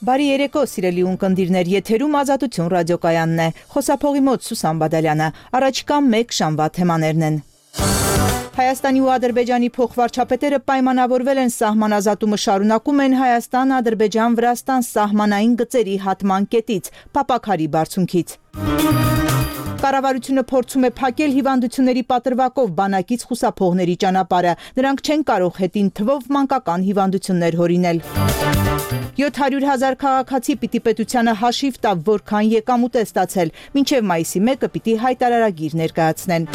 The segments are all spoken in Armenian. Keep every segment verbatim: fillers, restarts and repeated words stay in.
Բարի երեկո, սիրելի ունկնդիրներ, եթերում Ազատություն ռադիոկայանն է, խոսափողի մոտ Սուսան Բադալյանը, առաջիկա մեկ շամվա թեմաներն են։ Հայաստանի ու Ադրբեջանի փոխվարչապետերը պայմանավորվել են սահմանազատումը շարունակում են Հայաստան-Ադրբեջան-Վրաստան սահմանային գծերի հատման կետից, Փապաքարի բարձունքից։ Կառավարությունը փորձում է փակել հիվանդությունների պատրվակով բանակից խուսափողների ճանապարհը, նրանք չեն կարող հետին թվով մանկական հիվանդություններ հորինել։ յոթ հարյուր հազար քաղաքացի պիտի պետությանը հաշիվ տա, որքան եկամուտ է ստացել, մինչև մայիսի մեկը պիտի հայտարարագիր ներկայացնեն։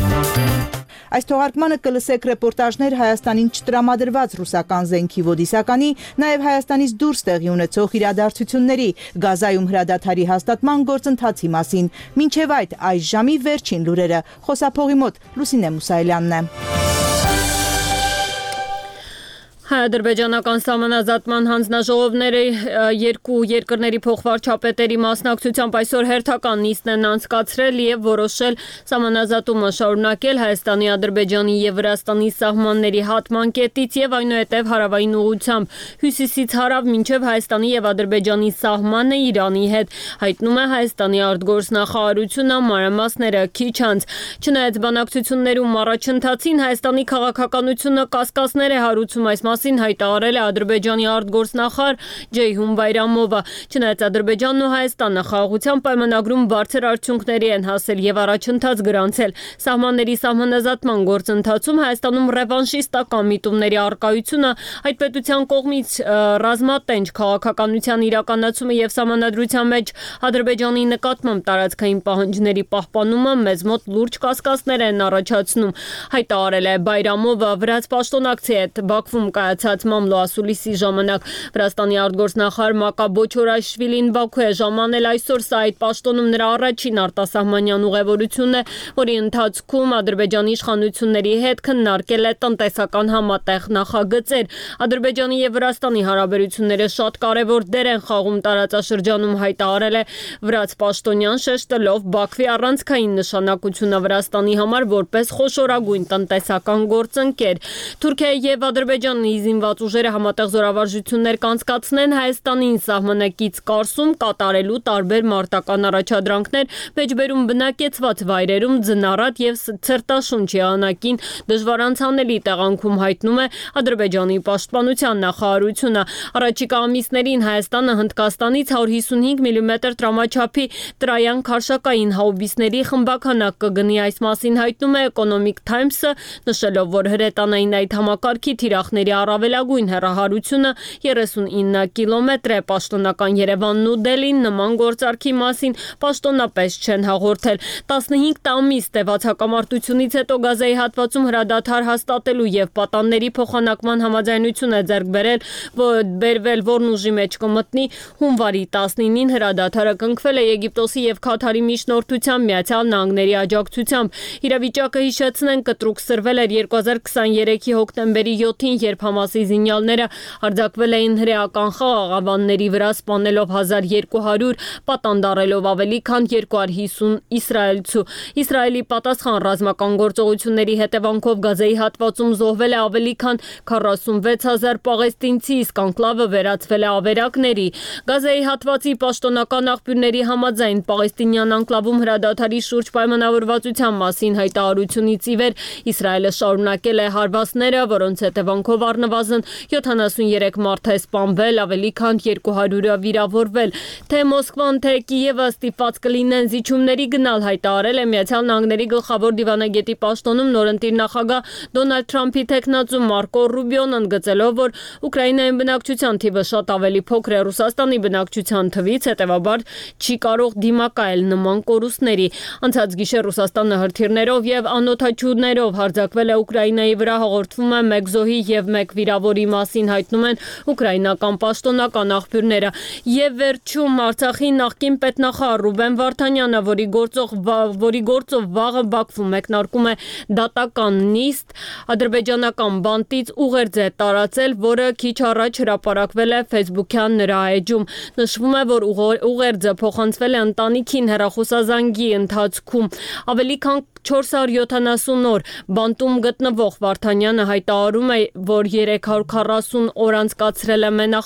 Այս թողարկմանը կլսեք ռեպորտաժներ Հայաստանին չտրամադրված ռուսական զենքի ոդիսականի, նաև Հայաստանից դուրս տեղի ունեցող իրադարձությունների, Գազայում հրադադարի հաստատման գործընթացի մասին։ Մինչև այդ այս ժամի վերջին լուրերը, խոսափողի մոտ Լուսինե Մուսայելյանն է։ Հայ-ադրբեջանական սահմանազատման հանձնաժողովները երկու երկրների փոխվարչապետերի մասնակցությամբ այսօր հերթական նիստն են անցկացրել և որոշել սահմանազատումը շարունակել Հայաստանի, Ադրբեջանի և Վրաստանի սահմանների հատման կետից և այնուհետև հարավային ուղղությամբ հյուսիսից հարավ մինչև Հայաստանի և Ադրբեջանի սահմանը Իրանի հետ, հայտնում է Հայաստանի արտգործնախարարությունը, մանրամասները քիչ անց։ Չնայած բանակցություններում առաջընթացին Հայաստանի քաղաքականությունը կասկածներ է հարուցում այս մասին հայտարարել է Ադրբեջանի արտգործնախարար Ջեյհուն Բայրամովը։ Չնայած Ադրբեջանն ու Հայաստանը խաղաղության պայմանագրում բարձր արդյունքների են հասել և առաջընթաց գրանցել։ Սահմանների սահմանազատման գործընթացում Հայաստանում ռևանշիստական միտումների առկայությունը, այդ պետության կողմից ռազմատենչ քաղաքականության իրականացումը և սահմանադրության մեջ Ադրբեջանի նկատմամբ տարածքային պահանջների պահպանումը մեզ մոտ լուրջ կասկածներ են առաջացնում, հայտարարել է Բայրամովը վրաց պաշտոնակցի հետ Բաքվում կայացած մամլո ասուլիսի ժամանակ։ Վրաստանի արտգործնախարար Մակա Բոչորաշվիլին Բաքու է ժամանել այսօր, սա այդ պաշտոնում նրա առաջին արտասահմանյան ուղևորությունն է, որի ընթացքում Ադրբեջանի իշխանությունների հետ քննարկել է տնտեսական համատեղ նախագծեր։ Ադրբեջանի և Վրաստանի հարաբերությունները շատ կարևոր դեր են խաղում տարածաշրջանում, հայտարարել է վրաց պաշտոնյան, շեշտելով Բաքվի առանցքային նշանակությունը Վրաստանի համար որպես խոշորագույն տնտեսական գործընկեր։ Թուրքիայի և Ադրբեջանի զինված ուժերը համատեղ զորավարժություններ կանցկացնեն Հայաստանին սահմանակից կառսում կատարելու տարբեր մարտական առաջադրանքներ մեջբերում բնակեցված վայրերում ձնառատ և ցրտաշունչ եղանակին դժվար անցանելի տեղանքում, հայտնում է Ադրբեջանի պաշտպանության նախարարությունը։ Առաջիկա ամիսներին Հայաստանը Հնդկաստանից հարյուր հիսունհինգ միլիմետր տրամաչափի տրայան քարշակային հաուբիսների խմբաքանակ կգնի, այս մասին հայտնում է Economic Times-ը, նշելով, որ հրետանային այդ համակարգի թիրախների առավելագույն հեռահարությունը երեսունինը կիլոմետր է։ Պաշտոնական Երևանն ու Դելին նման գործարքի մասին պաշտոնապես չեն հաղորդել։ տասնհինգ ամիս տևած հակամարտությունից հետո Գազայի հատվածում հրադադար հաստատելու և պատանների փոխանակման համաձայնություն է ձեռք բերել, բերվել, որն ուժի մեջ կմտնի հունվարի տասնինին։ Հրադադարը կնքվել է Եգիպտոսի և Քաթարի միջնորդությամբ Միացյալ Նահանգների աջակցությամբ։ Իրավիճակը, հիշեցնենք, կտրուկ սրվել էր երկու հազար քսաներեքի հոկտեմբերի յոթին, երբ Համասի զինյալները հարձակվել էին հրեական խաղաղ ավանների վրա, սպանելով հազար երկու հարյուր, պատանդարելով ավելի քան երկու հարյուր հիսուն իսրայելցու։ Իսրայելի պատասխան ռազմական գործողությունների հետևանքով Գազայի հատվածում զոհվել է ավելի քան քառասունվեց հազար պաղեստինցի, իսկ անկլավը վերածվել է ավերակների։ Գազայի հատվածի պաշտոնական աղբյուրների համաձայն պաղեստինյան անկլավում հրադադարի շուրջ պայմանավորվածության մասին հայտարարությունից ի վեր Իսրայելը շարունակել է հարվածները, որոնց հետևանքով առնվազն յոթանասուներեք մարդ է սպանվել, ավելի քան երկու հարյուրը վիրավորվել։ Թե Մոսկվան, թե Կիևը ստիպված կլինեն զիջումների գնալ, հայտարարել է Միացյալ Նահանգների գլխավոր դիվանագետի պաշտոնում նորընտիր նախագահ Դոնալդ Թրամփի թեկնածու Մարկո Ռուբիոն, ընդգծելով, որ Ուկրաինայում բնակչության թիվը շատ ավելի փոքր է Ռուսաստանի բնակչության թվից, հետևաբար չի կարող դիմակայել նման կորուստների։ Անցած գիշեր Ռուսաստանը հրթիռներով և անօդաչուներով հարձակվել է Ուկրաինայի վրա, հաղորդվում է մեկ զոհի և մեկ վիրավորի մասին, հայտնում են ուկրաինական պաշտոնական աղբյուրները։ Եվ վերջում Արցախի նախկին պետնախարար Ռուբեն Վարդանյանը, որի գործով, որի գործով վաղը Բաքվում մեկնարկում է դատական նիստ, ադրբեջանական բանտից ուղերձ է տարածել, որը քիչ առաջ հրապարակվել է Facebook-յան նրա էջում։ Նշվում է, որ ուղերձը փոխանցվել է ընտանիքին հեռախոսազանգի ընթացքում։ Ավելի քան չորս հարյուր յոթանասուն օր բանտում գտնվող Վարդանյանը հայտարարում է, որ երեք հարյուր քառասուն օր անցկացրել է մենախ